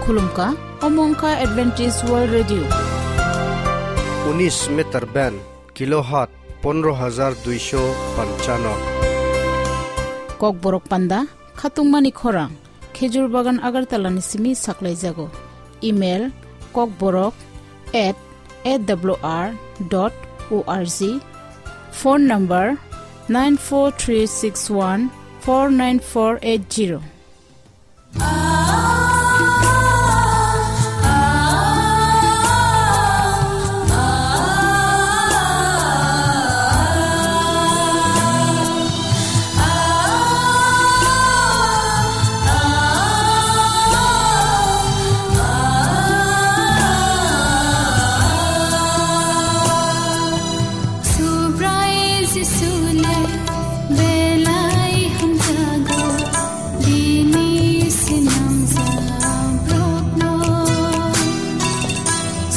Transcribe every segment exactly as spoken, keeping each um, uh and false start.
Khulumkha, omo wngkha Adventist World Radio. Unis meter band, kilohertz pondro hajar duisho panchano. Kokborok panda, khatungmani khorang, Khejur Bagan Agartala ni simi saklaijago. Email, kokborok at A W R dot O R G. Phone number, nine four three six one four nine four eight zero. Subrai Jisu le belai hamjago, bini sinamjak borokno.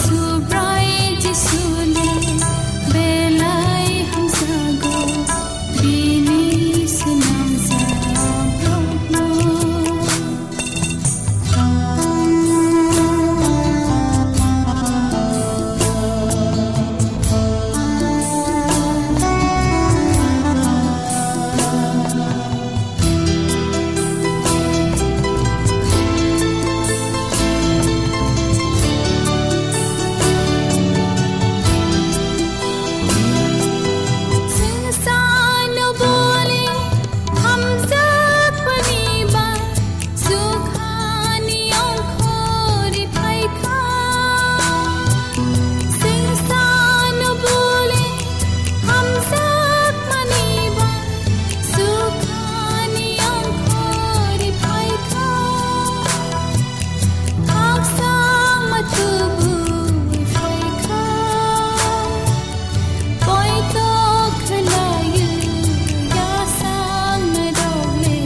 Subrai Jisu le belai hamjago, bini sinamjak borokno. Hamjakmani ba sukhani ongkhorwi phaikha. Singsano bole hamjakmani ba sukhani ongkhorwi phaikha. Haksa ma tubui phaikha. Poito khwlaio yasang nairok le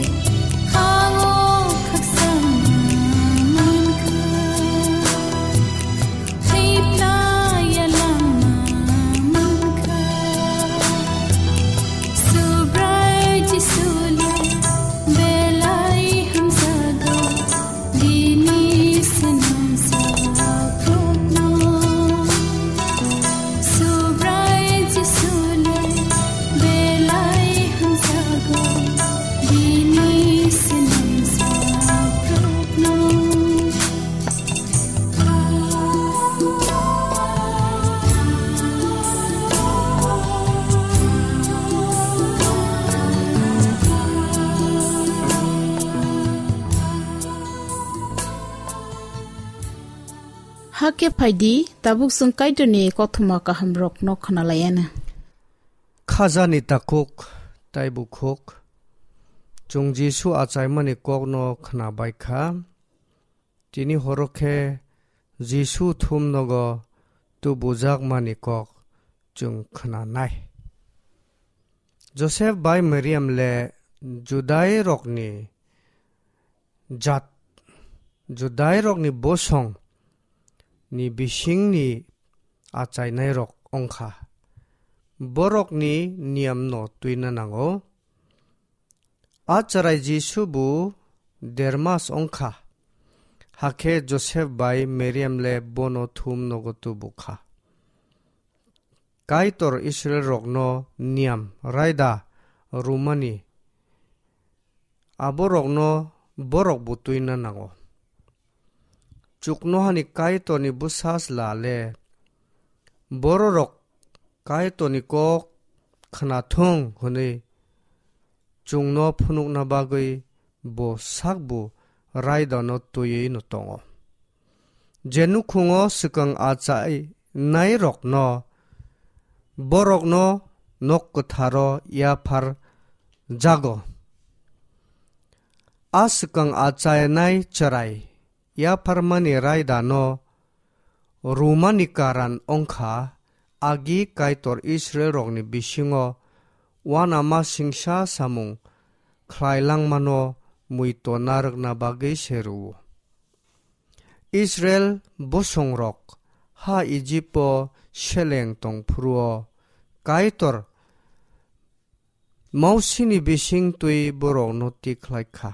khango khakchangma mankha. Thwiplaiya langma mankha. Subrai Jisu le belai hamjago. Bini swnamjak borokno Subrai Jisu le belai hamjago. Bini swnamjak borokno. Hakhe phaidi, tabuk chwng Kaitorni kothoma kahamrokno khwnalaianw. Khajani takhuk tei bukhuk, chwng Jisu achaimani kokno khwnabaikha. Tini horo khe Jisu thumnogo tubujakmani kok chwng khwnanai. Joseph bai Mariam le Judairokni jat, Judairokni bosong ni bisingni achainairok wngkha. Borokni niyamno twina nango. A chwrai Jisu bo dermas wngkha, hakhe Joseph bai Mariam le bono thum nogo tubukha. Kaitor Israilrokno niyam raida rwmani aborokno borok bo twina nango. Chuknohani Kaitorni bwsajla le bororok Kaitorni kok khwnathung hwnwi chwngno phunukna bagwi bo sakbo raidano twiwi'-no tongo. Je nukhungo swkang achainairokno borokno nok kwtharo yaphar jago. A swkang achainai chwrai yapharmani raidano rwmani karan wngkha, agi Kaitor Israilrokni bisingo uanama singsa samung khlai langmano muitu narwkna bagwi se rwo. Israil bosongrok ha Ijipo seleng tong phuru-o Kaitor Mosini bising twi borokno tikhlai kha.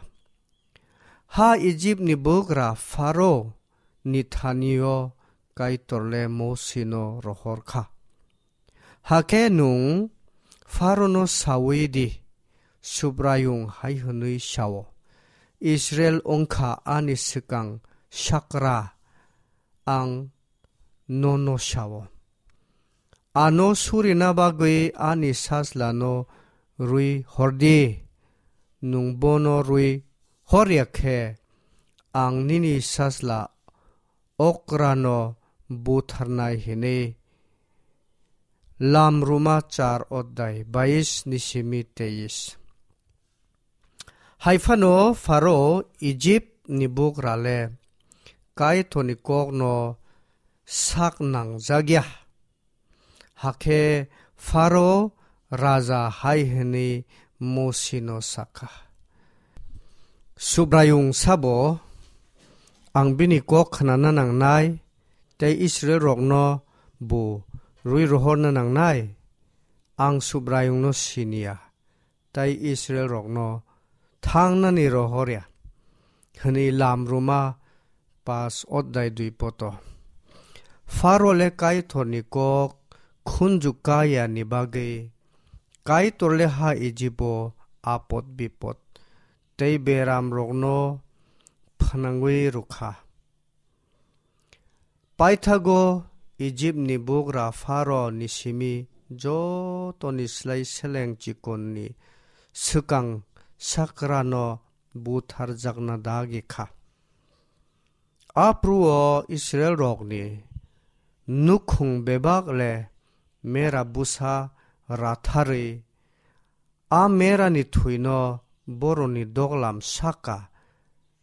Ha Ijipni bugra Pharo ni thani-o Kaitor le Mosi no rohor kha. Hakhe nwng Pharo no saui di, Subraiyung hai hwnwi sao, Israil wng kha ani swkang sakra, ang nono sao. Ano surina bagwi ani sajlano rwi hor di. Nwng bono rwi hor ya khe, ang nini sajla okrano butharnai hwnwi. Lamruma char odhyay bais ni simi teis. Hai phano Pharo Ijip ni bugra le Kaitor ni kok no sak nang jak ya. Hakhe Pharo raja hai hwnwi Mosi no sa kha, Subraiyung sabo, ang bini kok khnana nangnai, tei Israilrokno bo rwi rohorna nangnai? Ang Subraiyungno sini ya, tei Israilrokno thangnani rohor ya, hwnwi Lamruma pas odhyay dui poto. Pharo le Kaitorni kok khunju kaya ni bagwi Kaitor le ha Ijibo apot bipot tei beramrokno phnangwi rwkha. Paithago Ijipni bugra Pharo ni simi jotoni slai seleng chikonni swkang sakrano butharjakna dagi kha. Apruo Israilrokni nukhung bebak le mera bwsa ratharwi, a merani thwino boroni doglam saka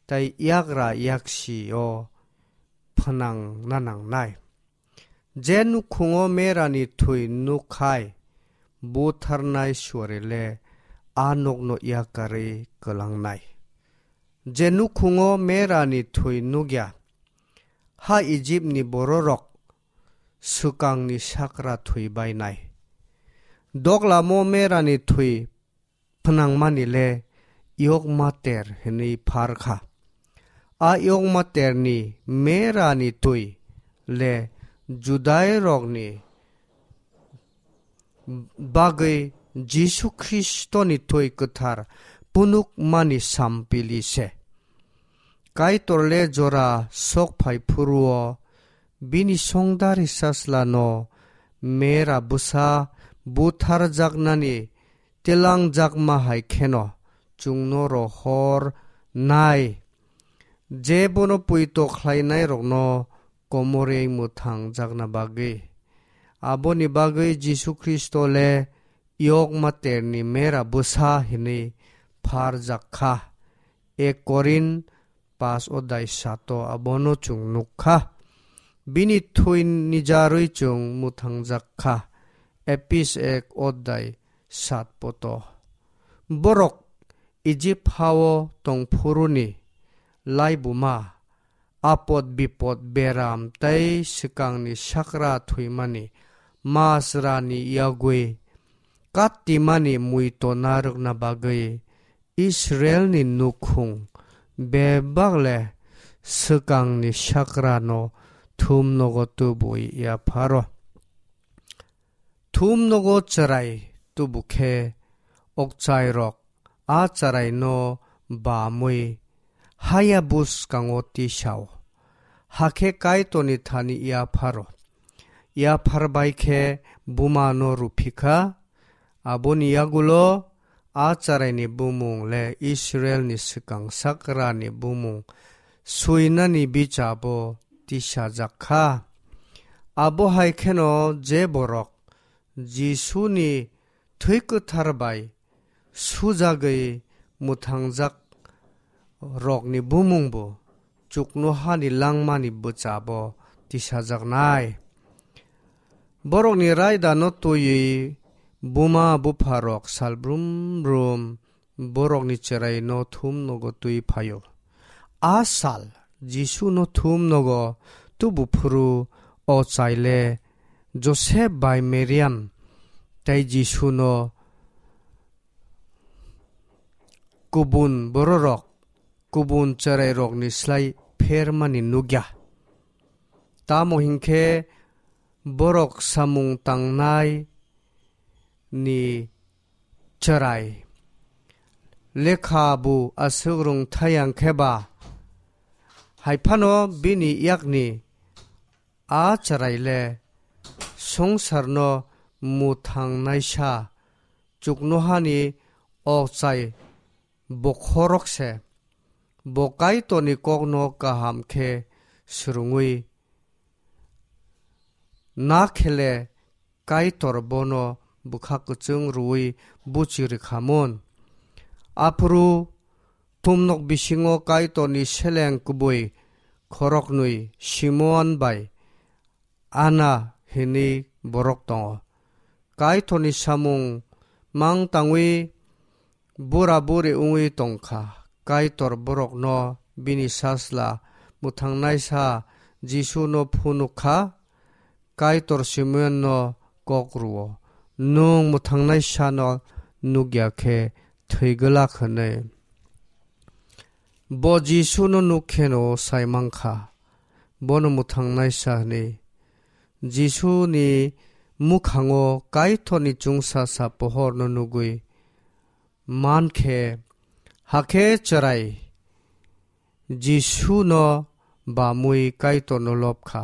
tei yagra yaksi-o phnangna nangnai. Je nukhungo merani thwi nukkhai butharnai suarile a nokno yakarwi kwlangnai. Je nukhungo merani thwi nukya, ha Ijipni bororok swkangni sakra thwi bainai. Doglamo merani thwi phnangmani le yokma ter hwnwi phar kha. A yokma terni merani twi le Judairokni bagwi Jisu Khristoni twi kwthar phunukmani sampili se. Kaitor le jora sok phai phuruo bini songdari sajlano mera bwsa butharjaknani telangjakma hai kheno chwngno rohor nai. Je bono poito khlainairokno komorwi mwthangjakna bagwi. Aboni bagwi Jisu Khristo le yokma terni mera bwsa hwnwi pharjak kha. Ek Korin pas odai sato abono chwng nuk kha. Bini thwi nijarwi chwng mwthangjak kha. Epis ek odai sat poto. Borok Ijip hao tongphuruni laibuma, apot bipot, beram tei swkangni sakra thwimani masrani yagwi kattimani muito narwkna bagwi Israilni nukhung bebak le swkangni sakrano thumnogo tubui yapharo. Thumnogo chwrai tubu khe okchairok a chwraino bamwi haya bwskango tisao. Hakhe Kaitorni thani yapharo. Yaphar bai khe bumano rwphi kha. Aboni yagulo a chwraini bumung le Israilni swkang sakrani bumung suinani bichabo tisajak kha. Abo hai kheno je borok Jisuni thwi kwthar bai sujagwi mwthangjak rokni bumungbo chuknohani langmani bwchabo tisajaknai. Borokni raidano twiwi buma bupharok sal brum brum borokni chwraino thumnogo twi phaio. A sal Jisuno thumnogo tubu phuru o chaile Josep bai Mariam tei Jisuno kubun bororok kubun chwrairokni slai phermani nukya. Tamo hinkhe borok samung tangnai ni chwrai lekha bu aswk rwngthai yang khe ba, hai phano bini yakni a chwrai le swngcharno mwthangnaisa chuknohani okchai bokhorok se. Bo Kaitorni kokno kaham khe swrwngwi na khe le Kaitor bono bwkha kwchwng rwui buchi rwkhamun. Aphuru tumnok bisingo Kaitorni seleng kubui khoroknwi Simon bai Ana hinwi borok tongo. Kaitorni samung mang tangwi bura buri wngwi tongkha. Kaitor borokno bini sasla mwthangnaisa Jisuno phunuk kha. Kaitor Simeonno kok rwo, "Nwng mwthangnaisano nukya khe thwi glak," hwnwi. Bo Jisuno nuk kheno sai mankha, bono mwthangnaisa hwnwi. Jisuni mwkhango Kaitorni chwngsacha pohorno nugwi mankhe, hakhe chwrai Jisuno bamwi Kaitorno lobkha.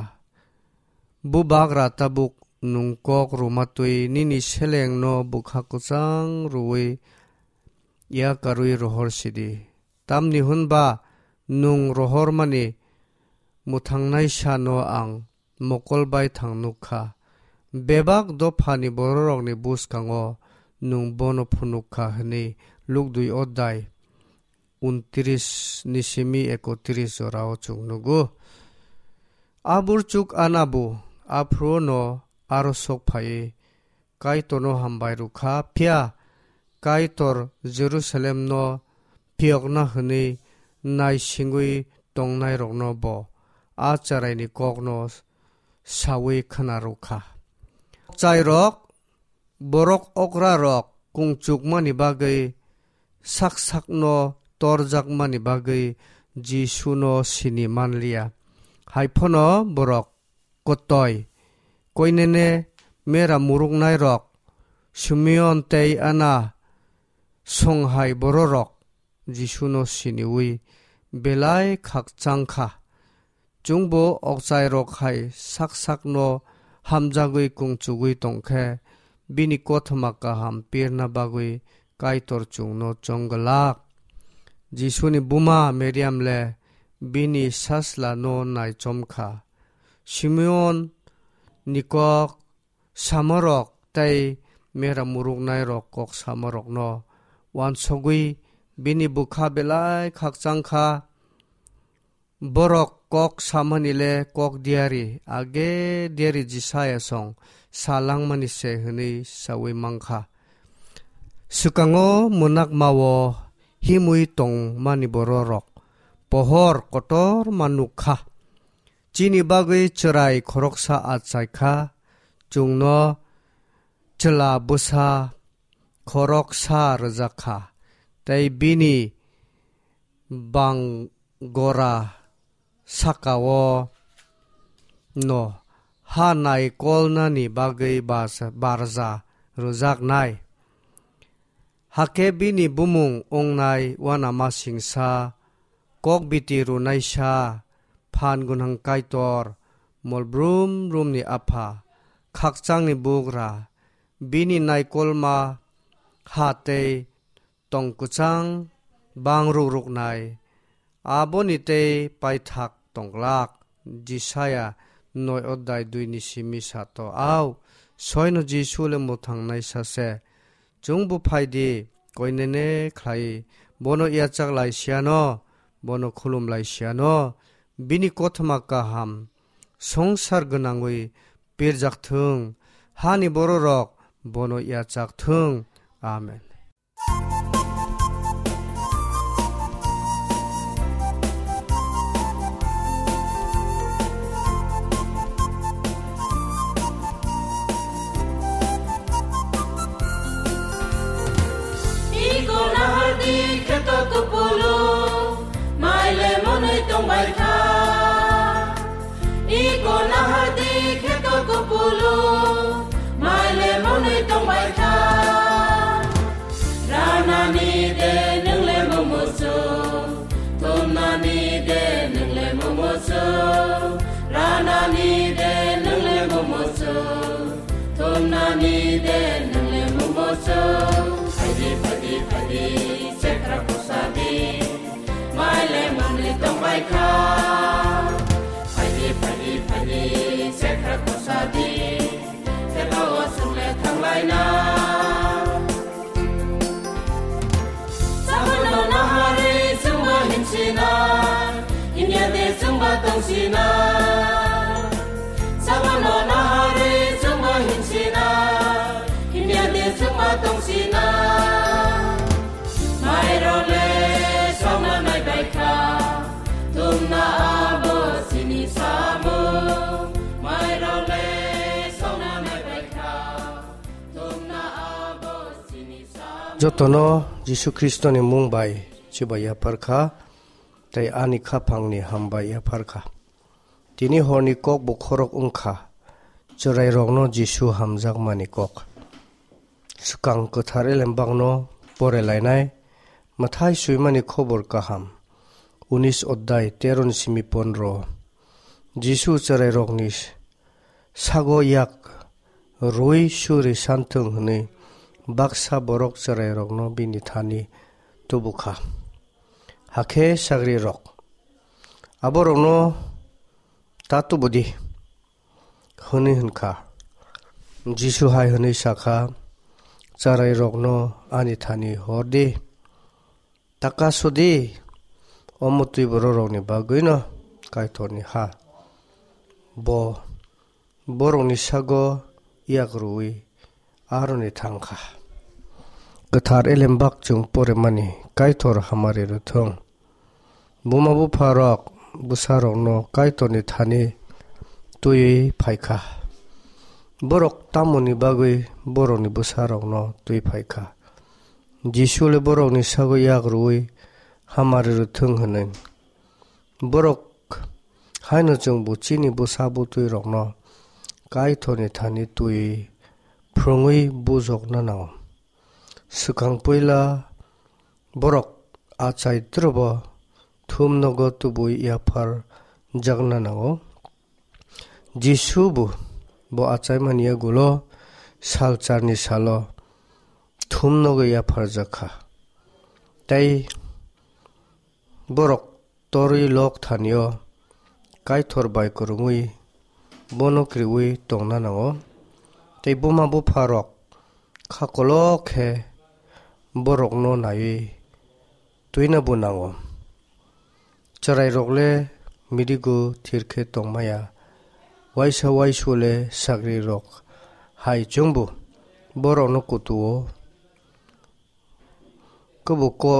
Bubagra tabuk nwng kok rwmatwi nini selengno bwkha kwchang rwui yakarwi rohor sidi. Tamni hwnba nwng rohormani mwthangnaisano ang mokol bai thang nuk kha. Bebak dophani bororokni bwskango nwng bono phunuk kha hwnwi Luk dui odai untris ni simi ekotris jorao chwng nugo. A burchuk Anabu aphuru no aro sok phaiwi Kaitorno hambai rwkha, phiya Kaitor Jerusalemno phiyokna hwnwi naisingwi tongnairokno bo a chwraini kokno saui khna rwkha. Chairok, borok okrarok kungchukmani bagwi sak sakno torjakmani bagwi Jisuno sini manliya. Haiphano borok kotoi, koinene mera muruknairok, Simeon tei Ana, songhai bororok Jisuno siniui belai khakchang kha. Chwngbo okchairok hai sak sakno hamjagwi kungchugwi tong khe, bini kothoma kaham pirna bagwi Kaitor chwngno chong glak. Jisuni buma Mariam le bini sasla no naichom kha. Simeon ni kok samorok tei mera muruknairok kok samorokno uansugwi bini bwkha belai khakchang kha. Borok kok samani le kok diari, age diari Jisaya song sa langmani se hwnwi saui mankha. Swkango mwnakmao himwi tongmani bororok pohor kotor ma nuk kha. Chini bagwi chwrai khoroksa achai kha, chwngno chwla bwsa khoroksa rwjak kha, tei bini bang gora sakao no ha naikolnani bagwi bas-, barja rwjaknai. Hakhe bini bumung wngnai uanamasingsa, kokbiti rwnaisa, phan gwnang Kaitor, mol brum brumni apha, khakchangni bugra, bini naikolma ha tei tong kwchang bang ruk ruknai, aboni tei paithak tong glak. Jisaya noi odai dui ni simi sato, "Au, soino Jisu le mwthangnai sa se. Chwng bo phai di, koinene khlai, bono yachak lai siya no, bono khulum lai siya no, bini kothoma kaham songsar gwnangwi pirjak thung, hani bororok bono yachak thung." Amen. Iko nahardi kheto kupulung, mai le monwi tongbai kha. Iko Nani de nang le momo so, tum nani de nang le momo so. Phaidi, phaidi, phaidi, sekra kosa di, mai le mangli tong bai kha. Phaidi, phaidi, phaidi, sekra kosa di, teba o sung le thang lai na. Sabano nahari chwngba hinsina, hinya de chwngba tongsina. Sabano nahari chwngba hinsina, hinya de chwngba tongsina. Mairole songna nai bai kha, tumna abo sini samu. Mairole songna nai bai kha. Jotono Jisu Khristoni mung bai chibai yaphar kha, tei ani khaphangni hambai yaphar kha. Tini horni kok bo khorok wng kha, chwrairokno Jisu hamjakmani kok. Swkang kwthar elembakno pore lainai, Mathai swimani khobor kaham, unis oddai, teroni simi pondro. Jisu chwrairokni sago yak rwui suri santhwng hwnwi baksa borok chwrairokno bini thani tubu kha. Hakhe sagrirok, "Aborokno ta tubu di," hwnwi hwn kha. Jisu hai hwnwi sa kha, "Chwrairokno ani thani hor di." Taka sudi, omo twi bororokni bagwino Kaitorni ha. Bo borokni sago yak rwui aroni thang kha. Kwthar elembak chwng poremani Kaitor hamari rwthwng. Buma bupharok bwsarokno Kaitorni thani twiwi phai kha. Borok tamoni bagwi borokni bwsarokno twi phai kha? Jisu le borokni sago yak rwui hamari rwthwng hwnwi. Borok haino chwngbo chini bwsa bwtwirokno Kaitorni thani twi phrwngwi bujokna nango. Swkang puila borok achai drobo thum nogo tubui yaphar jakna nango. Jisu bo, bo achaimani yagulo salcharni salo thum nogo yapharjak kha. Tei borok torwi lok thanio Kaitor bai kwrwngwi bono kriwi tongna nango. Tei buma bupharok kha kolok khe borokno naiwi twina bo nango. Chwrairok le midigo thir khe tongmaya, waisa waisu le sagrirok hai chwngbo borokno kutuo, kwbo ko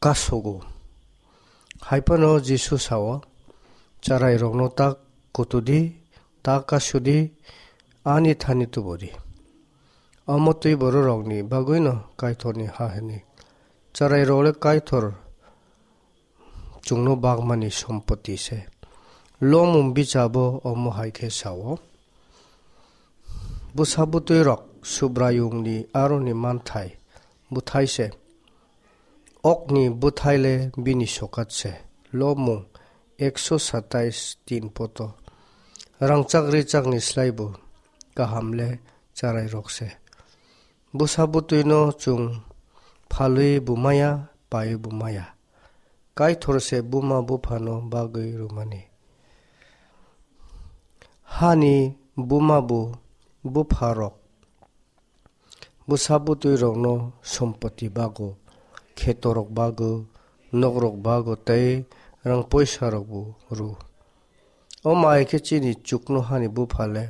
kasogo. Hai phano Jisu sao, "Chwrairokno ta kutudi, ta kasudi, ani thani tubudi." Omo twi bororokni bagwino Kaitorni ha hwnwi. Chwrairok le Kaitor chwngno bagmani sompoti se. Lomung bichabo omo hai khe sao, "Bwsa bwtwirok Subraiyungni aroni manthai bwthai se. Okni bwthai le bini sokat se." Lomung ekso satais tin poto. Rangchak richakni slaibo kaham le chwrairok se. Bwsa bwtwino chwng phalwi bumaya, paiwi bumaya. Kaitor se buma buphano bagwi rwmani. Hani buma bu bupharok bwsa bwtwirokno sompoti bago, khetorok bago, nokrok bago tei rang poisarokbo rw. Omo hai khe chini chuknohani bupha le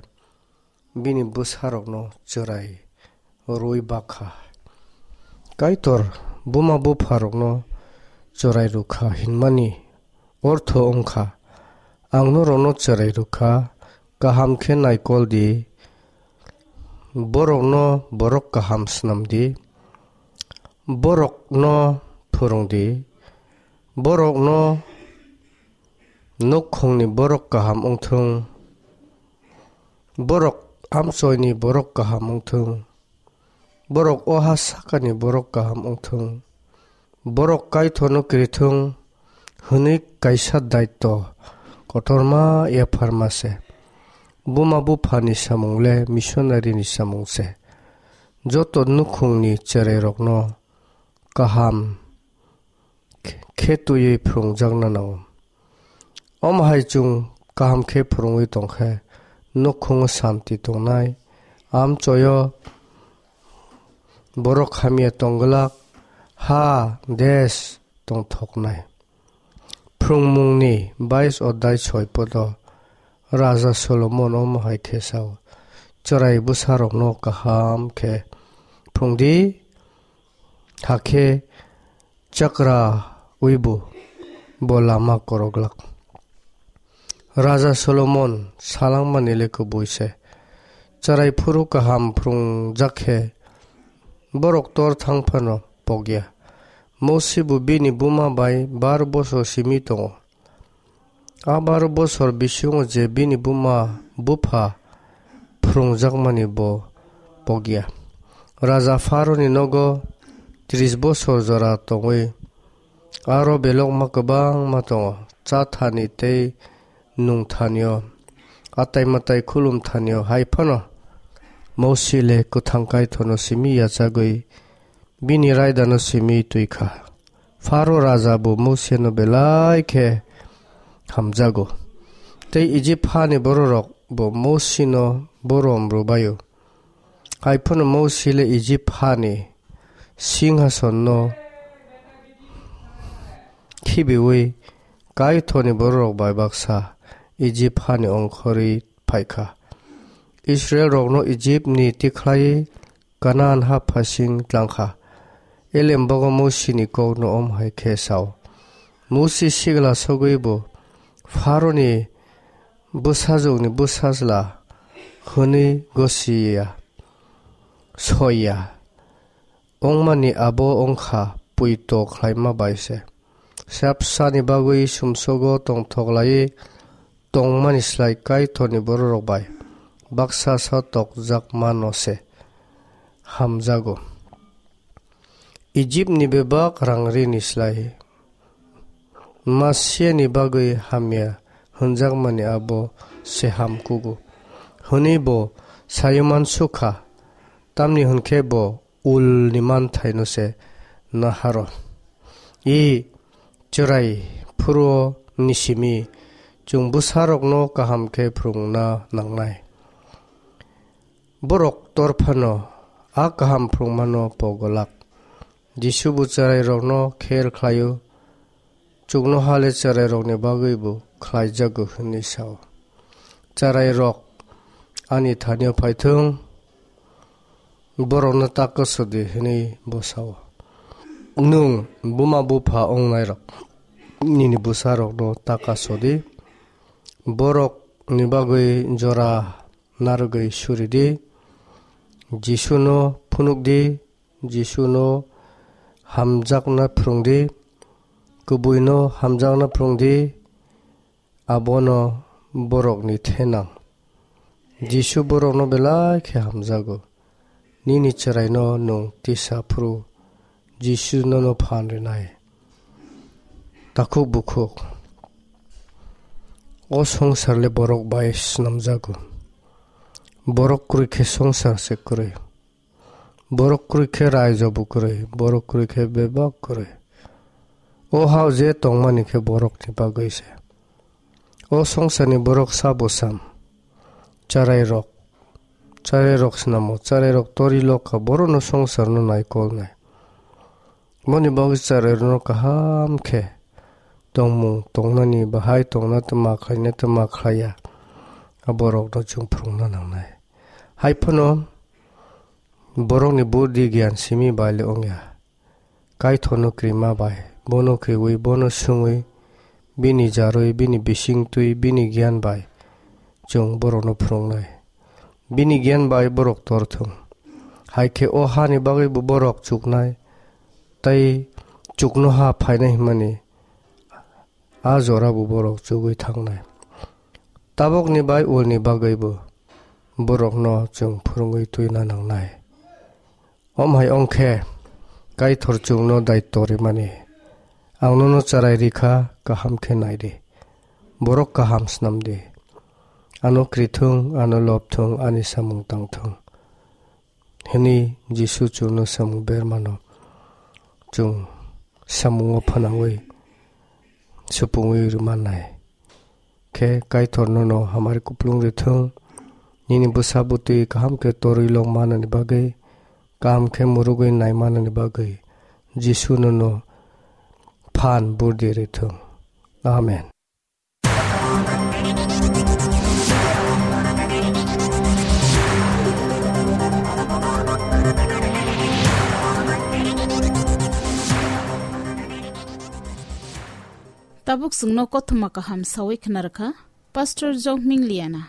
bini bwsarokno chwrai rwui bakha. Kaitor buma bupharokno chwrai rwkha hinmani ortho wngkha, ang norokno chwrai rwkha, kaham khe naikol di, borokno borok kaham snam di, borokno phwrwng di, borokno nukhungni borok kaham wngthung, borok amchoini borok kaham wngthung, borok o ha sakani borok kaham wngthung, borok Kaitorno kirithung hwnwi kaisa daitw kotorma yapharma se. Buma buphani samung le missionary ni samung se. Joto nukhungni cherairokno kaham khe twiwi phwrwngjakna nango. Omo hai chwng kaham khe phwrwngwi tong khe, nukhungo santi tongnai, amchoyo borok hamya tong glak, ha, desh tongthoknai. Phrwngmungni bais odai soi podo Raja Solomon omo hai khe sao, chwrai bwsarokno kaham khe phrwng di, hakhe chakrawibo bo lama koroglak. Raja Solomon salangmani le kubui se. Chwrai phuru kaham phrwngjak khe borok tor thang phano pokya. Mosi bo bini buma bai bar bosor simi tongo. A bar bosor bisingo je bini buma bupha phrwngjakmani bo pokya. Raja Pharaoni nogo tris bosor jora tongwi aro belokma kwbangma tongo, cha thani tei nung thanio, atai matai khulum thanio, hai phano Mosi le kwthang Kaitorno simi yachagwi bini raidano simi twi kha. Pharo raja bo Mosi no belai khe hamjago, tei Ijip hani bororok bo Mosi no borom rwbaio. Hai phano Mosi le Ijip hani singhasonno khibiwi Kaitorni bororok bai baksa Ijip hani ongkhorwi phai kha. Israilrokno Ijipni tikhlaiwi Kanaan ha phasing tlang kha. Elem bogo Mosini kokno om hai khe sao, Mosi sigla sogwi bo Pharoni bwsajwkni bwsajla hwnwi gosi ya, soi ya. Wngmani abo wng kha poito khlaima bai se. Sapsani bagwi sumsogo tongthok laiwi tongmani slai Kaitorni bororok bai baksa sa tokjakmano se hamjago. Ijipni bebak rangrini slai Masiani bagwi hamya hwnjakmani abo se ham kugo, hwnwi bo saywi man su kha, tamni hwn khe bo ulni manthaino se naharo. I chwrai phuru-o ni simi chwng bwsarokno kaham khe phrwngna nangnai. Borok tor phano a kaham phrwngmano pogolak. Jisu bo chwrairokno kher khlaio, chuknoha le chwrairokni bagwi bo khlaijago hwnwi sao. Chwrairok ani thanio phaithwng, borokno ta kwswdi hwnwi bo sao. Nwng buma bupha wngnairok nini bwsarokno ta kasodi, borokni bagwi jora narwgwi suridi, Jisuno phunukdi, Jisuno hamjakna phrwngdi, kubuino hamjakna phrwngdi, abono borokni thenang. Jisu borokno belai khe hamjago. Nini chwraino nwng tisa phuru Jisu nono phan rinai. Takhuk bukhuk. O songsar le borok bai snamjago. Borok kwrwi khe songsar se kwrwi. Borok kwrwi khe raijo bo kwrwi, borok kwrwi khe bebak kwrwi. O hao je tongmani khe borokni bagwi se. O songsarni borok sabo sam, chwrairok, chwrairok snamo, chwrairok tori lokha, borokno songsarno naikolnai. Boni bagwi chwrairokno kaham khe tongmung tongnani bahai tongna tma khlaina tma khlaiya, a borokno chwng phrwngna nangnai. Hai phano borokni budhi giyan simi bai le wngya. Kaitorno krima bai, bono kriwi, bono sungwi, bini jarwi, bini bisingtwi, bini giyan bai chwng borokno phrwngnai. Bini giyan bai borok tor thung. Hai khe o hani bagwi bo borok chuknai, tei chuknoha phainai hwnmani a jora bo borok chugwi thangnai. Tabukni bai ulni bagwi bo borokno chwng phwrwngwi twina nangnai. Om hai ong khe, Kaitor chwngno daityo rimani, ang nono chwrai ri kha, kaham khe nai di. borok kaham snam di. Ano kri thung, ano lob thung, ani samung tang thung. Hwnwi Jisu chwngno samung bermano chwng samungo phwnangwi supungwi rwmannai. Khe Kaitor nono hamari kuplung rwthung, nini bwsa bwtwi kaham khe torwi long manani bagwi, kaham khe murugwi nai manani bagwi Jisu nono phan burdi rwthung. Amen. Tabuk chwngno kothoma kaham sawi khna rwkha Pastor Jokming Liana.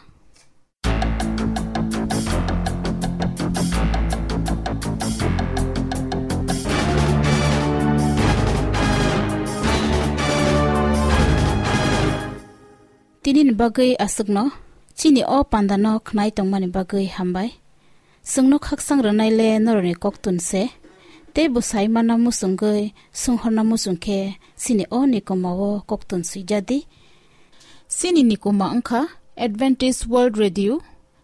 Tini ni bagwi aswkno, chini o panda no khnai tongmani bagwi hambai. Chwngno khaksang rwnai le norokni koktun se, tei bwsai mana muchungwi sunghorna muchung khe chini o nikoma o koktun swijadi. Chini nikoma wngkha Adventist World Radio,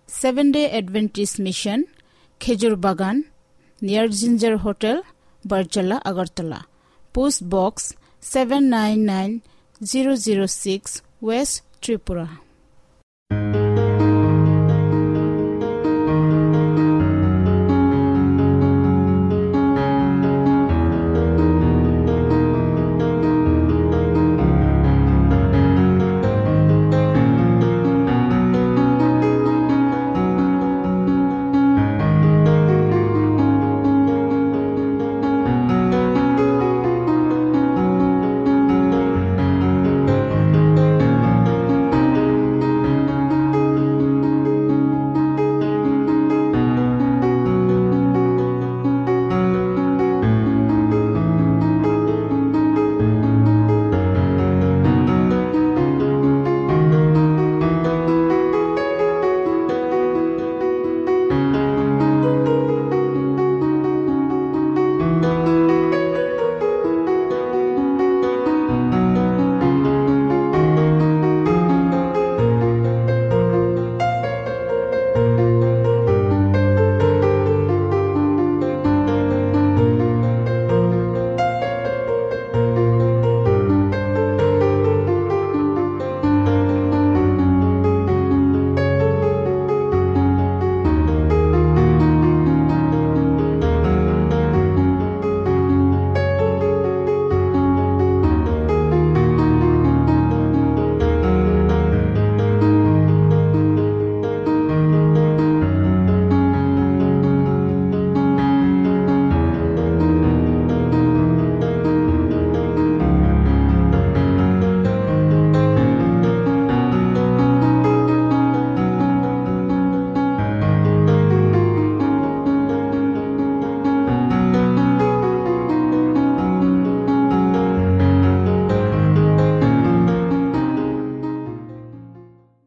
Seven Day Adventist Mission, Khejur Bagan, near Ginger Hotel, Barjala, Agartala. Post Box seven nine nine zero zero six, West Tripura.